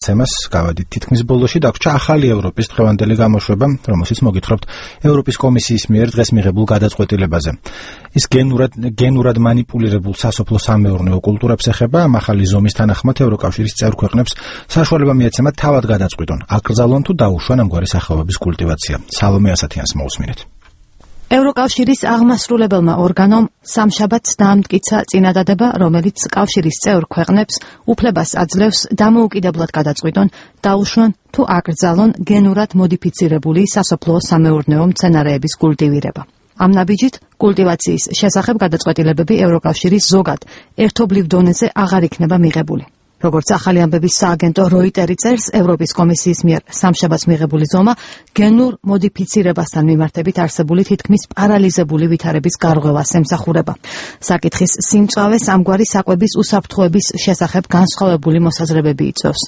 თემას გავადით თითქმის ბოლოში დაგვრჩა ახალი ევროპის დღევანდელი გამოშვება, რომელშიც მოგითხრობთ ევროპის კომისიის მიერ დღეს მიღებულ გადაწყვეტილებაზე. ის გენურად მანიპულირებულ სასოფლო-სამეურნეო კულტურებს ეხება. ამ ახალი ზომის თანახმად ევროკავშირის წევრ ქვეყნებს საშუალება მიეცემათ თავად გადაწყვიტონ, აკრძალონ თუ დაუშვან ამგვარი სახეობების კულტივაცია. სალომე ასათიანს მოусმინეთ. ევროკავშირის აღმასრულებელმა ორგანომ სამშაბათს დაამტკიცა წინადადება, რომელიც კავშირის წევრ ქვეყნებს უფლებას აძლევს დამოუკიდებლად გადაწყვიტონ, დაუშვან თუ აკრძალონ გენურად მოდიფიცირებული სასოფლო-სამეურნეო მცენარეების კულტივირება. ამ ნაბიჯით კულტივაციის შესახებ გადაწყვეტილებები ევროკავშირის ზოგად ერთობლივ დონეზე აღარ იქნება მიღებული. როგორც ახალი ამბების სააგენტო როიტერი წერს, ევროპის კომისიის მიერ სამშაბათს მიღებული ზომა გენურ მოდიფიცირებასთან მიმართებით არსებული თითქმის პარალიზებული ვითარების გარღვევას ემსახურება. საკითხის სიმწვავეს ამგვარი საკვების უსაფრთხოების შესახებ განსხვავებული მოსაზრებები იწვევს.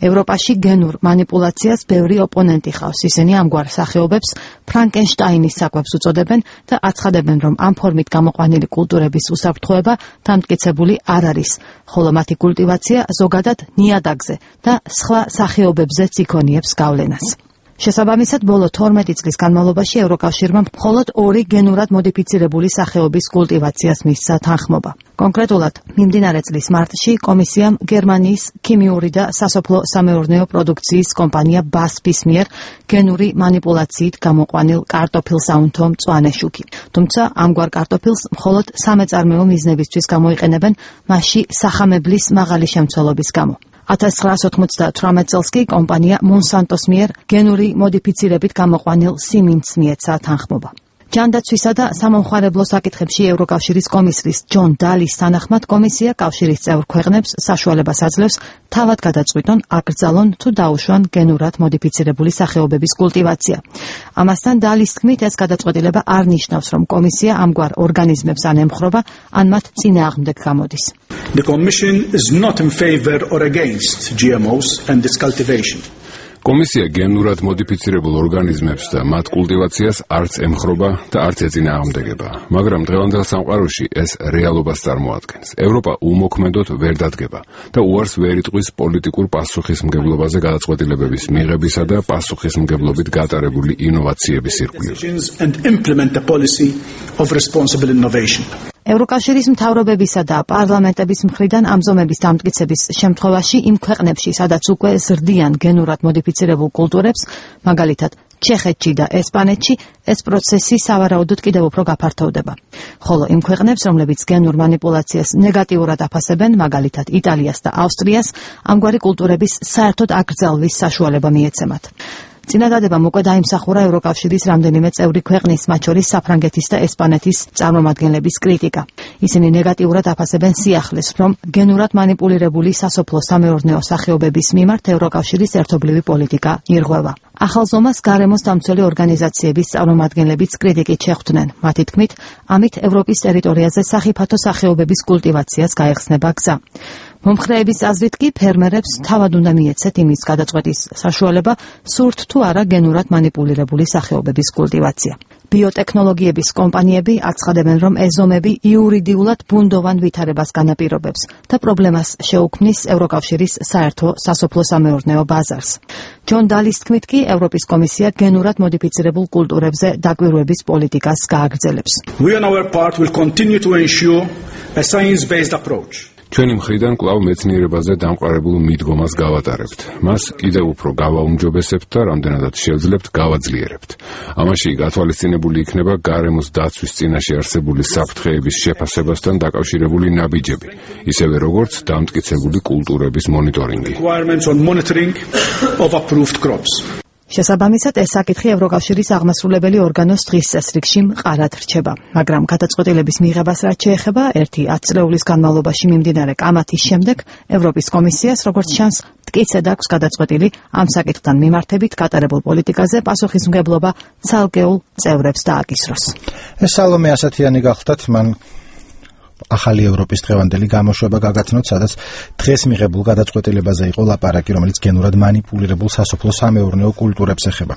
ევროპაში გენურ მანიპულაციას ბევრი ოპონენტი ხავს. ისინი ამგვარ სახეობებს ფრანკენშტაინის საკვებს უწოდებენ და აცხადებენ, რომ ამ ფორმით გამოყვანილი კულტურების უსაფრთხოება დამტკიცებული არ არის, ხოლო მათი კულტივაცია ზოგადად ნიადაგზე და სხვა სახეობებზეც იქონიებს გავლენას. შესაბამისად, ბოლო 12 წლის განმავლობაში ევროკავშირმა მხოლოდ 2 გენურად მოდიფიცირებული სახეობის კულტივაციას მისცა თანხმობა. კონკრეტულად, მიმდინარე წლის მარტში კომისიამ გერმანიის ქიმიური და სასოფლო-სამეურნეო პროდუქციის კომპანია BASF-ის მიერ გენური მანიპულაციით გამოყვანილ კარტოფილს აუნთო მწვანე შუქი. თუმცა ამგვარ კარტოფილს მხოლოდ სამეწარმეო მიზნებისთვის გამოიყენებენ, მასში სახამებლის მაღალი შემცველობის გამო. 1998 წელს კი კომპანია მონსანტოს მიერ გენური მოდიფიცირებით გამოყვანილ სიმინდს მიეცა თანხმობა. ჯანდაცვისა და სამომხმარებლო საკითხებში ევროკავშირის კომისრის ჯონ დალის თანახმად კომისია კავშირის წევრ ქვეყნებს საშუალებას აძლევს თავად გადაწყვიტონ, აკრძალონ თუ დაუშვან გენურად მოდიფიცირებული სახეობების კულტივაცია. ამასთან დალის თქმით, ეს გადაწყვეტილება არ ნიშნავს, რომ კომისია ამგვარ ორგანიზმებს ან ემხრობა, ან მათ წინააღმდეგ გამოდის. The Commission is not in favor or against GMOs and this cultivation. კომისია გენურად მოდიფიცირებულ ორგანიზმებს და მათ კულტივაციას არც ემხრობა და არც ეწინააღმდეგება, მაგრამ დღევანდელ სამყაროში ეს რეალობას წარმოადგენს. ევროპა უმოქმედოდ ვერ დადგება და უარს ვერ იტყვის პოლიტიკურ პასუხისმგებლობაზე გადაწყვეტილებების მიღებისა და პასუხისმგებლობით გატარებული ინოვაციების ირგვლივ. ევროკავშირის მთავრობებისა და პარლამენტების მხრიდან ამ ზომების დამტკიცების შემთხვევაში იმ ქვეყნებში, სადაც უკვე ზრდიან გენურად მოდიფიცირებულ კულტურებს, მაგალითად ჩეხეთში და ესპანეთში, ეს პროცესი სავარაუდოდ კიდევ უფრო გაფართოვდება. ხოლო იმ ქვეყნებს, რომლებიც გენურ მანიპულაციას ნეგატიურად აფასებენ, მაგალითად იტალიას და ავსტრიას, ამგვარი კულტურების საერთოდ აკრძალვის საშუალება მიეცემათ. წინადადებამ უკვე დაიმსახურა ევროკავშირის რამდენიმე წევრი ქვეყნის, მათ შორის საფრანგეთის და ესპანეთის წარმომადგენლების კრიტიკა. ისინი ნეგატიურად აფასებენ სიახლეს, რომ გენურად მანიპულირებული სასოფლო-სამეურნეო სახეობების მიმართ ევროკავშირის ერთობლივი პოლიტიკა ირღვევა. ახალ ზომას გარემოს დამცველი ორგანიზაციების წარმომადგენლებიც კრიტიკით შეხვდნენ. მათი თქმით, ამით ევროპის ტერიტორიაზე სახიფათო სახეობების კულტივაციას გაეხსნება გზა. მომხრეების აზრით კი ფერმერებს თავად უნდა მიეცეთ იმის გადაწყვეტის საშუალება, სურთ თუ არა გენურად მანიპულირებული სახეობების კულტივაცია. ბიოტექნოლოგიების კომპანიები აცხადებენ, რომ ეს ზომები იურიდიულად ბუნდოვან ვითარებას განაპირობებს და პრობლემას შეუქმნის ევროკავშირის საერთო სასოფლო-სამეურნეო ბაზარს. ჯონ დალის თქმით კი, ევროპის კომისია გენურად მოდიფიცირებულ კულტურებზე დაკვირვების პოლიტიკას გააგრძელებს. We on our part will continue to ensure a science-based approach. ჩვენი მხრიდან კვლავ მეცნიერებაზე დამყარებულ მიდგომას გავატარებთ. მას კიდევ უფრო გავაუმჯობესებთ და რამდენადაც შევძლებთ, გავაძლიერებთ. ამაში გათვალისწინებული იქნება გარემოს დაცვის წინაშე არსებული საფრთხეების შეფასებასთან დაკავშირებული ნაბიჯები, ისევე როგორც დამტკიცებული კულტურების მონიტორინგი. შესაბამისად, ეს საკითხი ევროკავშირის აღმასრულებელი ორგანოს დღის წესრიგში მყარად რჩება, მაგრამ გადაწყვეტილების მიღებას რაც შეეხება, 10 წლეულის განმავლობაში მიმდინარე კამათის შემდეგ ევროპის კომისიას, როგორც ჩანს, მტკიცედ აქვს გადაწყვეტილი ამ საკითხთან მიმართებით გატარებულ პოლიტიკაზე პასუხისმგებლობა ცალკეულ წევრებს დააკისროს. ეს სალომე ასათიანი გახლდათ, მან ახალი ევროპის დღევანდელი გამოშვება გაგაცნოთ, სადაც დღეს მიღებულ გადაწყვეტილებაზე იყო ლაპარაკი, რომელიც გენურად მანიპულირებულ სასოფლო-სამეურნეო კულტურებს ეხება.